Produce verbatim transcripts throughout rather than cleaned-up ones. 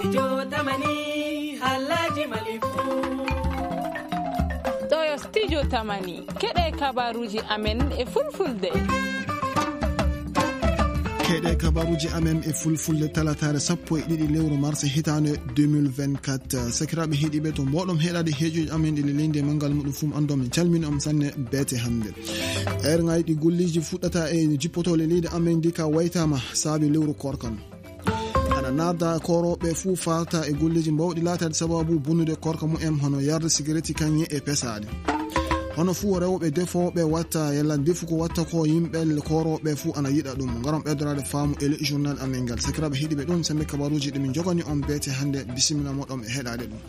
Studio Tamani, haalaaji Mali fuu. Ɗo yo Studio Tamani, keɗe kabaruuji amen e fulfulde. Keɗe kabaruuji amen e fulfulde talataare sappo e ɗiɗi lewru mars hitaande deux mille vingt-quatre. Sakiraaɓe heɗiiɓe, to mboɗon heɗaade heejoji amen ɗi leydi e manngal muɗum fuu, anndon min calmini on sanne beete hannde. Erŋaaji ɗi golleeji fuɗɗata e jippotoo leydi amen ndi ka waytaama saabi lewru koorka. Ana narda koorooɓe fuu farta e golleeji mbawɗi laataade sababu bonnude koorka mumen, hono yarde sigaretti kaŋŋe e pesaade. Hono fuu rewɓe defooɓe watta, yalla ndefu ko watta ko yimɓe koorooɓe fuu ana yiɗa ɗum. Ngaron ɓeydoraade faamu e le journal amen ngal. Sakiraaɓe heɗiiɓe, ɗum sembe kabaruuji ɗi min njogani on beete hannde. Bisimilla moɗon e heɗaade ɗum.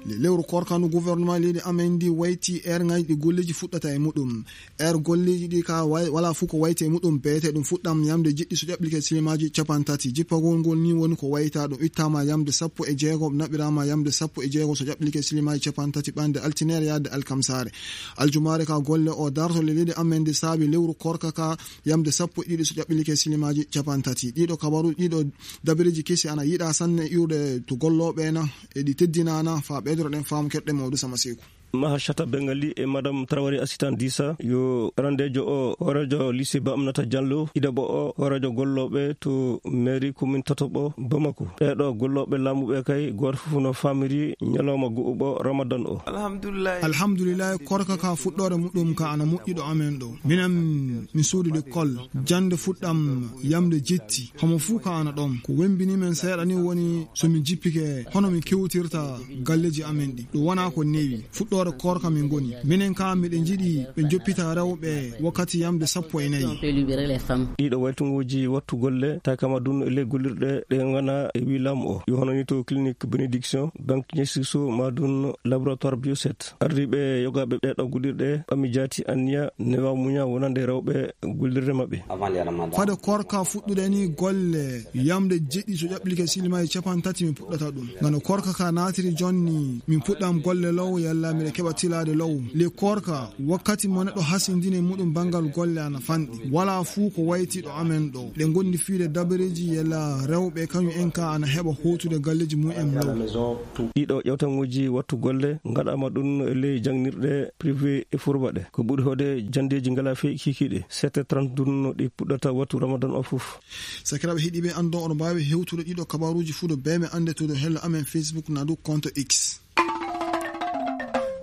Le lewru koorka ndu gouvernement leydi amen ndi wayti erŋaaji ɗi golleeji fuɗɗata e muɗum. Er golleeji ɗi ka wa-, wala fuu ko wayti e muɗum beete ɗum fuɗɗam yamde jeɗɗi so ƴaɓɓike silimaaji capantati. Jippagol ngol ni woni ko wayta ɗum ittaama yamde sappo e jeego, naɓiraama yamde sappo e jeego so ƴaɓɓike silimaaji capantati ɓande altineere yaade alkamsaare. Aljumaare ka golle o darto le leydi amen ndi saabi lewru koorka ka yamde sappo e ɗiɗi so ƴaɓɓike silimaaji capantati. Ɗiɗo kabaru, ɗiɗo dabareeji kesi ana yiɗa sanne iwde to gollooɓe na e ɗi teddinana fa ɓeydoro ɗen faamu keɗɗe mawdu sama seeku. Maha Shata Bengali e Madame Traoré Assistant Dissa yo arandeejo o hooreejo lycée Ba Aminata Diallo, ɗiɗaɓo o hooreejo gollooɓe to mairie commune tataɓo Bamako. Ɓeeɗo gollooɓe laamu ɓe kay gooto fof no faamiri ñalawma go'uɓo Ramadan o. Alhamdulillahi. Alhamdulillahi, koorka ka fuɗɗoore muɗum ka ana moƴƴi ɗo amen ɗo. Minen mi suudu l'école, jannde fuɗɗam yamde jetti. Homo fuu ka ana ɗon. Ko wembini men seeɗa ni woni so mi jippike hono mi kewtirta galleeji amen ɗi. Ɗum wonaa ko newi. Fuɗɗoore koorka min ngoni. Minen ka miɗen njiɗi ɓe njoppita rewɓe wakkati yamde sappo e nayi. Ɗiɗo waytunguuji wattu golle, tawi kama dun e ley gollirɗe ɗe ngana e wi laamu o. Yo hono ni to clinique Bénédiction, banque Niassiso, ma dun laboratoire Bioset. Ardiiɓe yogaaɓe ɗeeɗo gollirɗe ɓami jaati anniya newa muña wonande rewɓe gollirde maɓɓe. Fade koorka fuɗɗude ni golle yamde jeɗɗi so ƴaɓɓike silimaaji capantati mi puɗɗata ɗum. Ngano koorka ka naatiri jonni min puɗɗam golle law yalla miɗa keɓa tilaade law. Le koorka wakkati mo neɗɗo hasindini muɗum banngal golle ana fanɗi. Wala fuu ko wayti ɗo amen ɗo. Ɗe ngondi fiide dabareeji yalla rewɓe kañum en ka ana heɓa hootude galleeji mum en law. Ɗiɗo ƴewtaŋuuji wattu golle ngaɗaama ɗum e ley jaŋnirɗe privé e furba ɗe. Ko ɓuri hoode janndeeji ngala fey kikiiɗe. Sept heures trente ɗum no ɗi puɗɗata wattu Ramadan o fof. Sakiraaɓe heɗiiɓe, anndon oɗon mbaawi hewtude ɗiɗo kabaruuji fuu ɗo beeme annde to dow hello amen Facebook na dow compte X.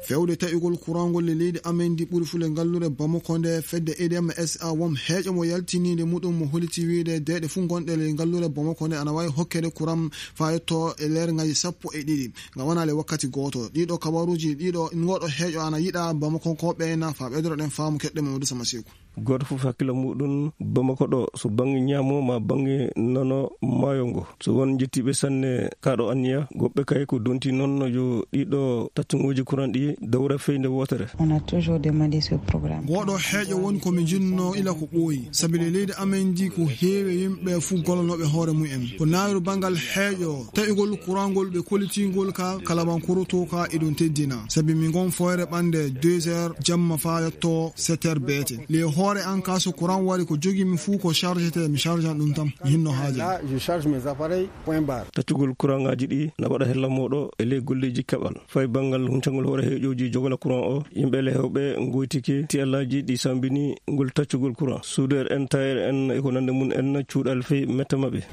Fewde taƴugol kurangol le leydi amen ndi ɓuri fule ngallure Bamako nde fedde E D M S A won heeƴo mo yaltiniinde muɗum mo holiti wiide deeɗe fuu ngonɗe le ngallure Bamako nde ana waawi hokkede kuram faa yetto e leer ngaji sappo e ɗiɗi. Nga wonaa le wakkati gooto. Ɗiɗo kabaruuji, ɗiɗo, ngoɗo heeƴo ana yiɗa Bamakonkooɓe na faa ɓeydoro ɗen faamu keɗɗe Mamadou Sama Seeku. Gooto fof hakkilo muɗum Bamako ɗo, so bannge ñaamo ma bannge nano maayo ngo. So won njettiiɓe sanne kaɗo anniya, goɗɓe kay ko donti noon yo ɗiɗo taccuŋuuji kuran ɗi dowra feyde wootere. On a toujours demandé ce programme. Ngoɗo heeƴo woni ko mi jinno ila ko ɓooyi. Sabi le leydi amen ndi ko heewi yimɓe fuu gollanooɓe hoore mumen. Ko nawiru banngal heeƴo, taƴugol kurangol ɓe kollitingol ka kalabankuruto ka e ɗum teddina. Sabi mi ngon foyre ɓannde deux heures jamma faa yetto sept heures beete. Le hoore an ka so kuran wari ko jogi mi fuu ko chargete mi charge an ɗum tan. Mi hinno haaja. Là, je charge mes appareils, point barre. Taccugol kuraŋaaji ɗi na waɗa hella mooɗo e ley golleeji keɓal. Fay banngal huncangol hoore heeƴooji jogola kuran o, yimɓe le hewɓe ngoytike ti allaaji ɗi sambini ngol taccugol kuran. Soudeur en, tailleur en e ko nande mum en cuuɗal fey metta maɓɓe.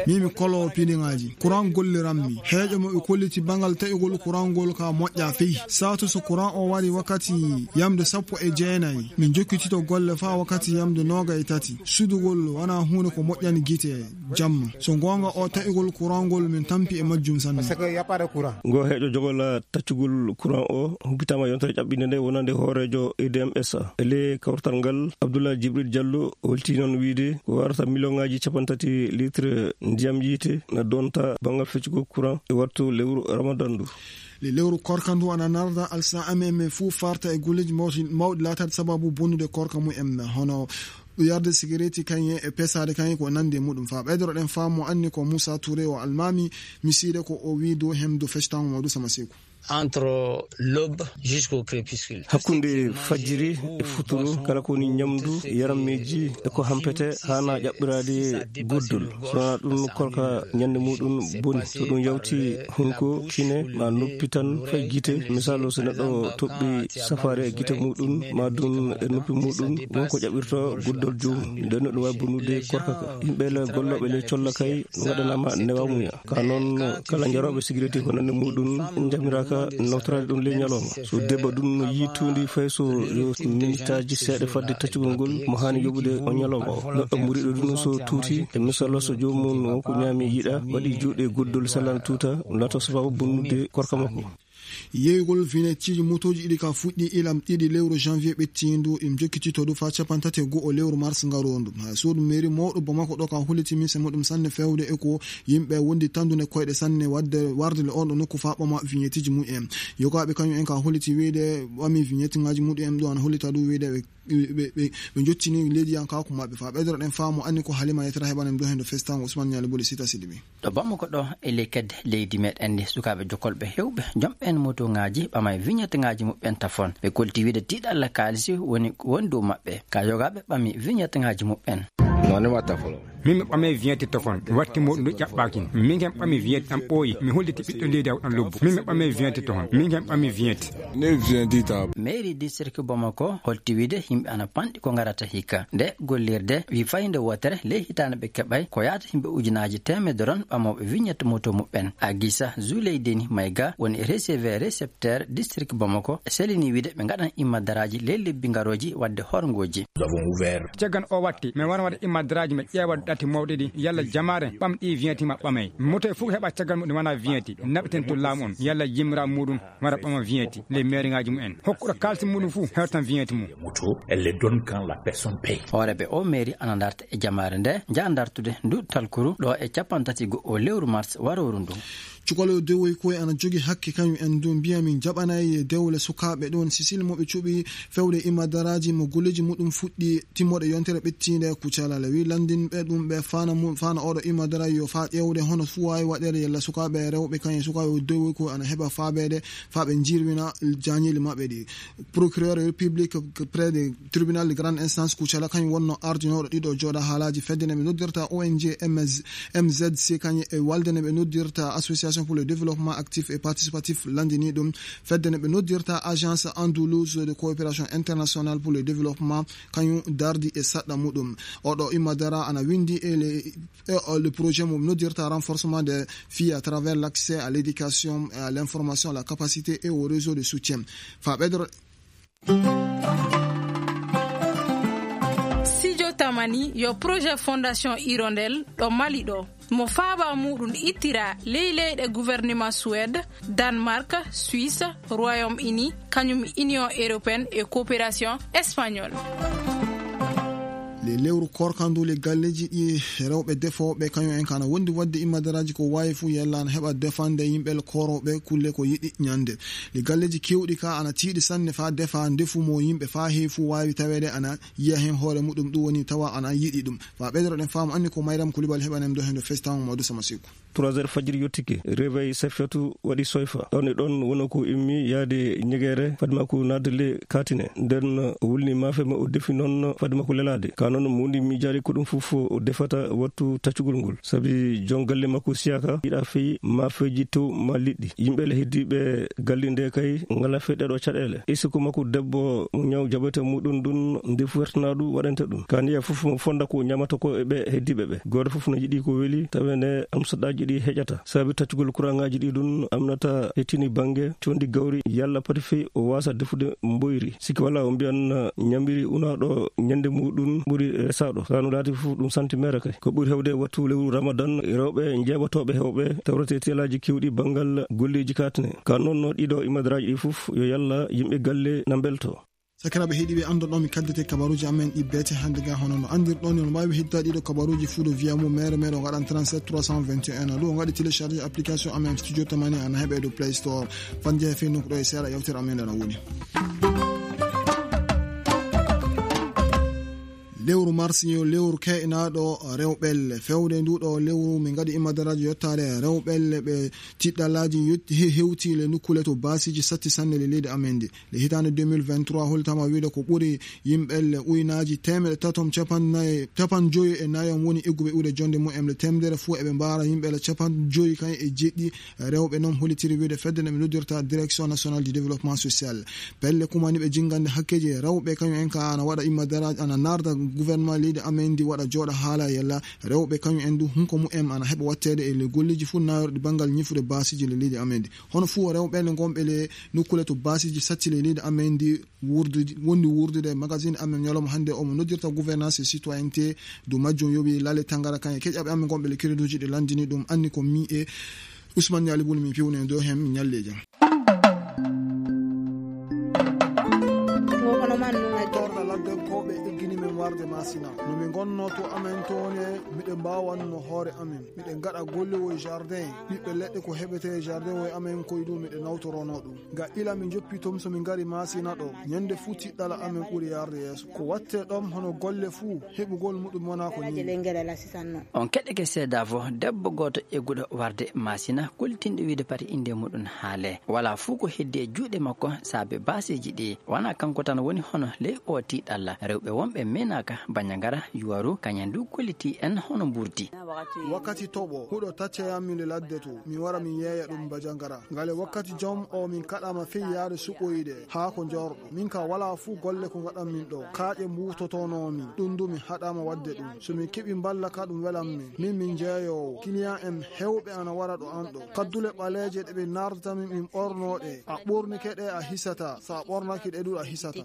Min mi kolo pidiŋaaji. Kuran golliranmi. Heeƴo mo ɓe kolliti banngal taƴugol kurangol ka moƴƴa fey. Saatu so kuran o wari wakkati yamde sappo e jeenayi. Min jokkitito golle faa wakkati yamde nooga e tati. Sudugol wonaa huunde ko moƴƴani gite. Jamma. So goonga o taƴugol kurangol min tampi e majjum sanne. Parce que y a pas de courant. Ngo heeƴo jogola taccugol kuran o humpitaama yontere ƴaɓɓinde nde wonande hooreejo E D M S A. E ley kawrital ngal, Abdoulaye Djibril Diallo holti noon wiide ko warata miliyoŋaaji capantati litre ndiyam yiite na donta banngal feccugol kuran e wattu lewru Ramadan ndu. Le lewru korka ndu ana narda alsa amen men fuu farta e golleeji mawɗi, mawɗi laataade sababu bonnude korka mumen. Hono yarde sigaretti kañe e pesaade kañe ko nandi e muɗum. Faa ɓeydoro ɗen faamu anni ko Moussa Touré o almaami misiide ko o wii dow hem dow fectango mawɗo Sama Seeku. Entre l'aube jusqu'au crépuscule. Hakkunde fajjiri e futuro, kala ko woni ñamdu, yarammeeji e ko hampete haana ƴaɓɓiraade guddol. So wonaa ɗum, korka ñande muuɗum boni. So ɗum yawti hunko, kine, ma noppi tan fay gite. Misaalu, so neɗɗo toɓɓi safaare e gite muuɗum, ma ɗum e noppi muuɗum, won ko ƴaɓɓirta guddol joomum. Nden no ɗum waawi bonnude korka ka. Yimɓe le gollooɓe le colla kay, ngaɗanaama newamuya. Ka noon, kala jarooɓe sigaretti ko nande muuɗum njamiraaka nawtoraade ɗum ley ñalawma. So debbo ɗum no yiitundi fay so yo minitaaji seeɗa fadde taccugol ngol, mo haani yoɓude o ñalawma o. Neɗɗo muriiɗo ɗum so tuuti, e misal so joomum won ko ñaami yiɗa, waɗi juuɗe guddol sellal tuuta, lato sababu bonnude korka makko. Yeeygol vignetteji motooji ɗiɗi ka fuɗɗi ilam ɗiɗi lewru janvier ɓettiindu, im jokkitito du faa cappanɗe tati e go'o lewru mars ngaroondu. Haa suudu mairie mawɗo Bamako ɗo ka holliti mise muɗum sanne fewde e ko yimɓe wondi tandude koyɗe sanne wadde warde le on ɗo nokku faa ɓama vignetteji mumen. Yogaaɓe kañum en ka holliti wiyde ɓami vignette ŋaaji muɗum en ɗo ana hollita ɗum wiyde ɓe, ɓe, ɓe, ɓe jottini leydiyankaaku maɓɓe. Faa ɓeydoro ɗen faamu anni ko Halima Yetera heɓanen ɗo heen ɗo festango Ousmane Ñaali Boli Sita Sidibé. Ɗo Bamako ɗo e ley kedde leydi meɗen ndi, sukaaɓe jokolɓe hewɓe, jom ɓen motoŋaaji ɓamay vignette ŋaaji muɓɓen tafon. Ɓe kolti wiide tiiɗalla kaalisi woni ko woni dow maɓɓe. Ka yogaaɓe ɓami vignette ŋaaji muɓɓen. Min mi ɓamay vignette tafon, watti muɗum ɗo ƴaɓɓaaki. Min ken ɓami vignette am ɓooyi, mi holliti ɓiɗɗo leydi aw ɗan lobbo. Min mi ɓamay vignette tafon, min ken ɓami vignette. Mairie district Bamako holti wiide yimɓe ana panɗi ko ngarata hikka. Nde gollirde wi fayde wootere ley hitaande ɓe keɓay ko yaata yimɓe ujunaaji teemedde ron ɓamooɓe vignette moto muɓɓen. Agisa Zuleydeni Mayga woni receveur récepteur district Bamako, selini wiide ɓe ngaɗan immadaraaji ley lebbi ngarooji wadde horngooji. Caggal o watti, min wona waɗa immadaraaji, mi ƴeewa ɗati mawɗi ɗi, yalla jamaare ɓam ɗi vignette ma ɓamay. Moto e fof heɓa caggal muɗum wona vignette, naɓeten to laamu on, yalla yimmiraaɓe muɗum wara ɓama vignette ley mairie ŋaaji mumen. Hokkuɗo kaalisi muɗum fof hewtan vignette mum. Moto, elle les donne quand la personne paye. Hooreeɓe o mairie ana ndarta e jamaare nde, njaha ndartude ndu talkuru ɗo e cappanɗe tati go'o lewru mars warooru ndu. Cukalel dewoy koye ana jogi hakke kañum en du mbiya min jaɓanay dewle sukaaɓe ɗon Sicile mo ɓe cuɓi fewde imadaraaji mo golleeji muɗum fuɗɗi timmoɗe yontere ɓettiinde Kucala. Le wi lanndinɓe ɗum ɓe faana mu-, faana oɗo imadara yo faa ƴeewde hono fuu waawi waɗeede yalla sukaaɓe rewɓe kañum sukaaɓe dewoy koye ana heɓa faabeede faa ɓe njirwina jaañeeli maɓɓe ɗi. Procureur public près de tribunal de grande instance Kucala kañum wonno ardinooɗo ɗiɗo jooɗa haalaaji fedde nde ɓe noddirta O N G M Z, M Z C kañum e walde nde ɓe noddirta Association pour le Développement Actif et Participatif, lanndini ɗum fedde nde ɓe noddirta Agence Andalouse de Coopération Internationale pour le Développement, kañum dardi e saɗɗa muɗum. Oɗo Imadara ana winndi e le, e, o, le projet mo noddirta renforcement des filles à travers l'accès à l'éducation et à l'information, la capacité et au réseau de soutien. Fa ɓeydoro. Sijo Tamani yo projet Fondation Hirondelle ɗo Mali ɗo. Mo faaba muɗum ittira ley leyɗe gouvernement Suède, Danemark, Suisse, Royaume-Uni, kañum Union Européenne e Coopération Espagnole. Le lewru korkandu le galleji ɗi rewɓe defooɓe kañum en kana wondi wadde imadaraaji ko waawi fuu yalla ana heɓa defande yimɓe le korooɓe kulle ko yiɗi ñande. Le galleji kewɗi ka ana tiiɗi sanne faa defa ndefu mo yimɓe faa heewi fuu waawi taweede ana yiya heen hoore muɗum, ɗum woni tawa ana yiɗi ɗum. Faa ɓeydoro ɗen faamu anni ko Mayram Kulibal heɓanen ɗo heen ɗo festango Mawdu Sama Seku. Trois heures fajiri yottike, réveil Safiyatu waɗi soyfa. Ɗon e ɗon woni ko immi yaade ñegeere, fadma ko naatde le kaatine. Nden o wulni maafe ma o defi noon fadma ko lelaade. Ka noon mo woni miijaade ko ɗum fof o defata wattu taccugol ngol. Sabi jon galle makko siyaka yiɗa fii maafeeji tew ma liɗɗi. Yimɓe le heddiiɓe galle nde kay ngala fii ɗeɗo caɗeele. Isiko makko debbo mo ñaw jabete muɗum ɗum nde fuwertana ɗum waɗante ɗum. Ka niya fof mo fonda ko ñamata ko e ɓe heddiiɓe ɓe. Gooto fof no yiɗi ko weli, taweende amsaɗaaji ɗi heƴata. Sabi taccugol kuraŋaaji ɗi ɗum amnata hettini bannge condi gawri, yalla pati fii o waasa defude mboyri. Sikki wala o mbiyan ñambiri unaaɗo ñande muɗum ɓuri resaaɗo. Ka no laati fof ɗum santi mere kay. Ko ɓuri hewde wattu lewru Ramadan, rewɓe njeeɓatooɓe hewɓe tawrete teelaaji kewɗi banngal golleeji katne. Ka noon no ɗiɗo imadaraaji ɗi fof yo yalla yimɓe galle na mbelto. Sakiraaɓe heɗiiɓe, anndon ɗo mi kaddete kabaruuji amen ɗi beete hannde ga, hono no anndirɗon, on mbaawi heddaade ɗiɗo kabaruuji fuu ɗo via mo mere mere, o ngaɗan trente-sept trois cent vingt et un, ɗum o ngaɗi télécharger application amen Studio Tamani, ana heɓe ɗo Play Store. Fan jeeya fii nokku ɗo e seeɗa yewtere amen nde no woni. Lewru mars yo lewru keynaaɗo rewɓelle. Fewde nduɗo lewru, min ngaɗi immadaraaji yottaade rewɓelle ɓe tiɗɗallaaji yot-, he-, hewti le nukkule to baasiji satti sanne le leydi amen ndi. Le hitaande deux mille vingt-trois, holtama wiide ko ɓuri yimɓelle uynaaji teemeɗe tatom capanɗe nayi, capanɗe joyi e nayi on woni egguɓe iwde jonde mumen le temedere fuu. Eɓe mbaara yimɓelle capanɗe joyi kañ e jeɗɗi rewɓe. Noon hollitiri wiide fedde nde ɓe noddirta Direction Nationale du Développement Social. Pelle kumaniiɓe jinngande hakkeeji rewɓe, kañum en ka ana waɗa immadaraaji, ana naarda gouvernement leydi amen ndi waɗa jooɗa haala yalla rewɓe kañum en du hunko mumen ana heɓa watteede e le golleeji fuu naawirɗi banngal ñifude baasiji le leydi amen ndi. Hono fuu rewɓe ne ngonɓe le nukkule to baasiji satti le leydi amen ndi wurdude, wondi wurdude magazine amen ñalawma hannde omo noddirta gouvernance et citoyenneté du majjum yowi Lale Tangara kañ e keƴaɓe amen ngonɓe le crédit uji ɗi lanndini ɗum anni ko mi e Ousmane Niali Bouly, min piwne dow heen, min ñalli e jam. Torɗa laddenkooɓe eggini men warde Masina. No min ngonno to amen toon e miɗen mbaawanno hoore amen. Miɗen ngaɗa golle wo e jardin. Ɓiɓɓe leɗɗe ko heɓete e jardin wo e amen koye ɗum miɗen nawtoronoo ɗum. Ga ila min njoppi toon so min ngari Masina ɗo. Ñande fuu tiɗɗala amen ɓuri yarde yeeso. Ko watte ɗoon hono golle fuu, heɓugol muɗum wonaa ko nii. On keɗeke seedaa fof, debbo gooto egguɗo warde Masina, kultinɗo wiide pati innde muɗum haale. Walaa fof ko heddi e juuɗe makko saabe baaseeji ɗi. Wonaa kanko tan woni hono ley oo tiiɗalla. Rewɓe wonɓe meenaaka Banjagara, Yuwaru, kañum du kollitii en hono mburdi. Wakkati toɓo, huɗo tacca yammi le ladde to, mi wara mi yeeya ɗum Banjagara. Ngale wakkati jom o min kaɗama fey yaade suɓoyde haa ko jorɗo. Min ka wala fuu golle ko ngaɗan min ɗo. Kaaƴe mbuutotono min. Ɗum du mi haɗama wadde ɗum. So min keɓi mballa ka ɗum welan min. Min min jeeyowo. Client en hewɓe ana wara ɗo an ɗo. Kaddule ɓaleeje ɗe ɓe nardata min min ɓorno ɗe. A ɓornike ɗe a hisata. So a ɓornaki ɗe du a hisata.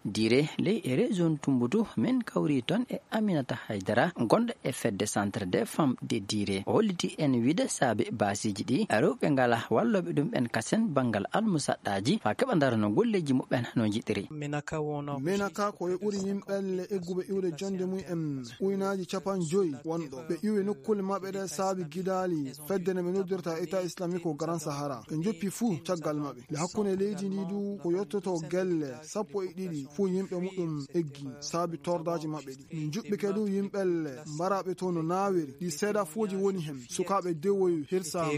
Dire ley e région Tumbutu, min kawri toon e Aminata Haydara, gonɗo e fedde Centre des Femmes de Dire. O holliti en wiide saabe baasiji ɗi, rewɓe ngala wallooɓe ɗum en kasen banngal almusaɗɗaaji, faa keɓa ndarano golleeji muɓɓen no njiɗiri. Menaka ko e ɓuri yimɓelle egguɓe iwde jonde mum en uynaaji capanɗe joyi wonɗo. Ɓe iwi nokkule maɓɓe ɗe saabi gidaali fedde nde ɓe noddirta État Islamique au Grand Sahara. Ɓe njoppi fuu caggal maɓɓe. Nde hakkunde leydi ndi du ko yottoto gelle sappo e ɗiɗi fuu yimɓe muɗum eggi saabi tordaaji maɓɓe ɗi. Min njuɓɓike du yimɓelle mbaraaɓe to no naawiri. Ɗi seedafuuji woni hen. Sukaaɓe dewoyu hirsaama.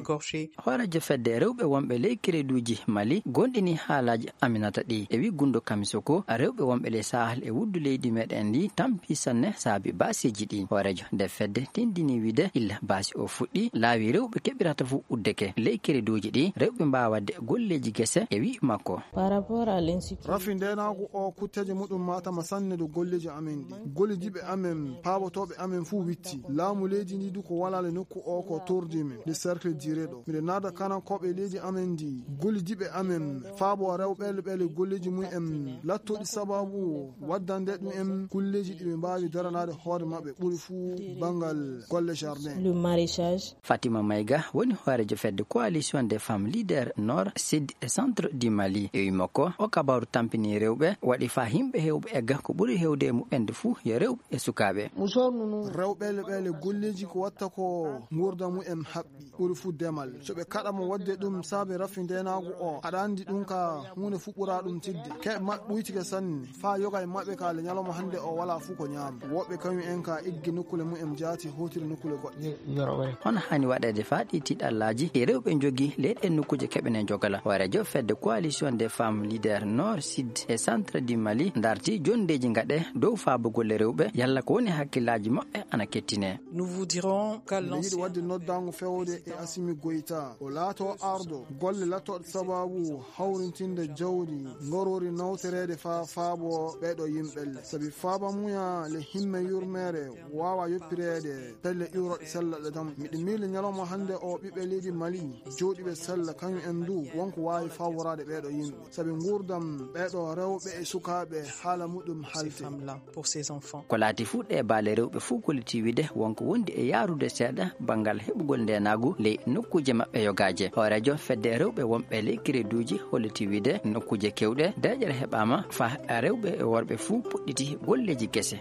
Hooreejo fedde rewɓe wonɓe ley kereduuji Mali gonɗini haalaaji Aminata ɗi. E wi Gundo Kamisoko, rewɓe wonɓe ley Sahel e wuddu leydi meɗen ndi tampi sanne saabi baasiiji ɗi. Hooreejo nde fedde tindini wiide illa baasi o fuɗɗi, laawi rewɓe keɓirata fof uddeke. Ley kereduuji ɗi, rewɓe mbaawa waɗde golleeji gese, e wi makko. Par rapport à l'insécurité. Rafi ndeenaagu o kutteeje muɗum matama sanne dow golleeji amen ɗi. Gollidiiɓe amen, paabotooɓe amen fuu witti. Laamu leydi ndi du ko walaale nokku o ko tordi men. Nde cercle dire ɗo. Miɗo naada kanankooɓe leydi amen ndi. Gollidiiɓe amen, faabo rewɓe ɓe golleeji mum en. Lattoɗi sababu waddande ɗum en kulleeji ɗi ɓe mbaawi daranaade hoore maɓɓe ɓuri fuu banngal golle jardin. Le maraîchage. Fatima Maïga woni hooreejo fedde Coalition des Femmes Leaders Nord, Sud et Centre du Mali. E wi makko, o kabaru tampini rewɓe, waɗi faa yimɓe heewɓe egga ko ɓuri heewde e muɓɓen de fuu yo rewɓe e sukaaɓe. Rewɓe le ɓe le golleeji ko watta ko nguurda mumen haɓɓi, ɓuri fuu demal. So ɓe kaɗa mo waɗde ɗum saabe rafi ndeenaagu o, aɗa anndi ɗum ka huunde fuu ɓuraa ɗum tidde. Keɓe maɓɓe ɓuytike sanne. Faa yoga e maɓɓe ka le ñalawma hannde o walaa fuu ko ñaama. Woɓɓe kañum en ka eggi nokkule mumen jaati hootiri nokkule goɗɗe. Hono haani waɗeede faa ɗi tiiɗallaaji e rewɓe njogii ley ɗen nokkuuje keɓene njogala? Hooreejo fedde Coalition des Femmes Leaders Nord, Sud et Centre du Mali darti jonndeeji ngaɗe dow faabo golle rewɓe, yalla ko woni hakkillaaji maɓɓe ana kettinee. Nous vous dirons qu'à Miɗo yiɗi waɗde noddaango fewde e Assimi Goïta. O laato ardo golle lattooɗe sababu hawrintinde jawdi ngorori nawtoreede faa faabo ɓeeɗo yimɓelle. Sabi faaba muya le himme yurmeere waawa yoppireede pelle iwroɗe sellaɗe dam. Miɗo miili ñalawma hannde o ɓiɓɓe leydi Mali jooɗiiɓe sella kañum en du wonko waawi faaworaade ɓeeɗo yimɓe. Sabi nguurdam ɓeeɗo rewɓe e sukaaɓe haala muɗum halte. Pour ses enfants. Ko laati fuu ɗe baale rewɓe fuu kolliti wiide wonko wondi e yaarude seeɗa banngal heɓugol ndeenaagu ley nokkuuje maɓɓe yogaaje. Hooreejo fedde rewɓe wonɓe ley kereduuji holliti wiide nokkuuje keewɗe deeƴere heɓaama faa rewɓe e worɓe fuu puɗɗiti golleeji gese.